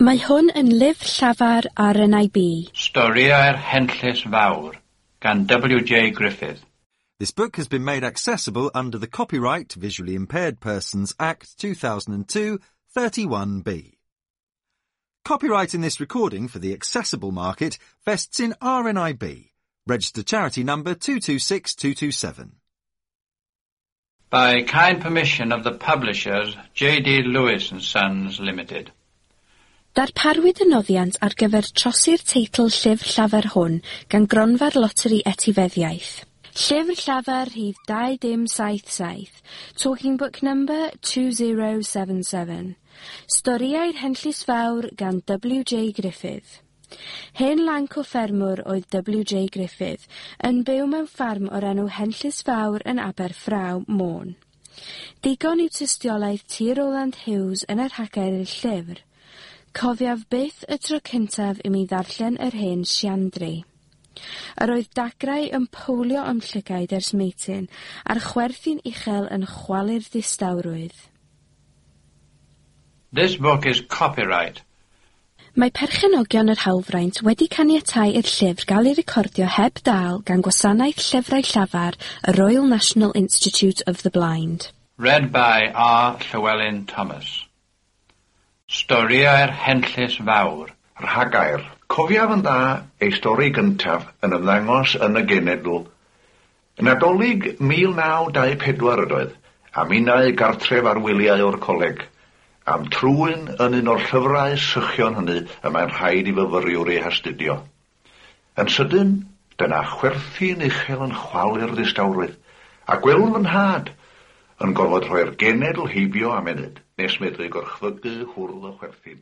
Mae hwn yn lyfr llafar RNIB. Storïau'r Henllys Fawr gan W J Griffith. This book has been made accessible under the Copyright Visually Impaired Persons Act 2002 31B. Copyright in this recording for the accessible market vests in RNIB, registered charity number 226227. By kind permission of the publishers, J D Lewis and Sons Limited. Darparwyd y noddiant ar gyfer trosi'r teitl llyfr llafar hwn gan Gronfa'r Loteri Etifeddiaeth. Llyfr llafar rhif 2077, Talking Book Number 2077. Storïau'r Henllys Fawr gan W J Griffith. Hen lanc o ffermwr oedd W J Griffith, yn byw mewn ffarm o'r enw Henllys Fawr yn Aberffraw, Môn. Digon yw tystiolaeth T Rowland Hughes yn y rhagair i'r llyfr. Cofiaf byth y tro cyntaf i mi ddarllen yr hen Siandri. Yr oedd dagrau yn powlio a'm llygaid ers meityn, a'r chwerthin uchel yn chwalu'r distawrwydd. This book is copyright. Mae perchenogion yr hawlfraint wedi caniatáu i'r llyfr gael ei recordio heb dâl gan Gwasanaeth Llyfrau Llafar y Royal National Institute of the Blind. Read by R. Llewellyn Thomas. Storïau'r Henllys Fawr. Rhagair. Cofiaf yn dda ei stori gyntaf yn ymddangos yn y genedl. Nadolig 1924 ydoedd, a minnau gartref ar wyliau o'r coleg, am trwyn yn un o'r llyfrau sychion hynny y mae'n rhaid i fyfyriwr eu hastudio. Yn sydyn, dyna chwerthin uchel yn chwalu'r ddistawrwydd, a gwelwn fy nhad yn gorfod rhoi'r genedl heibio am ennyd, nes medru gorchfygu hwrdd o chwerthin.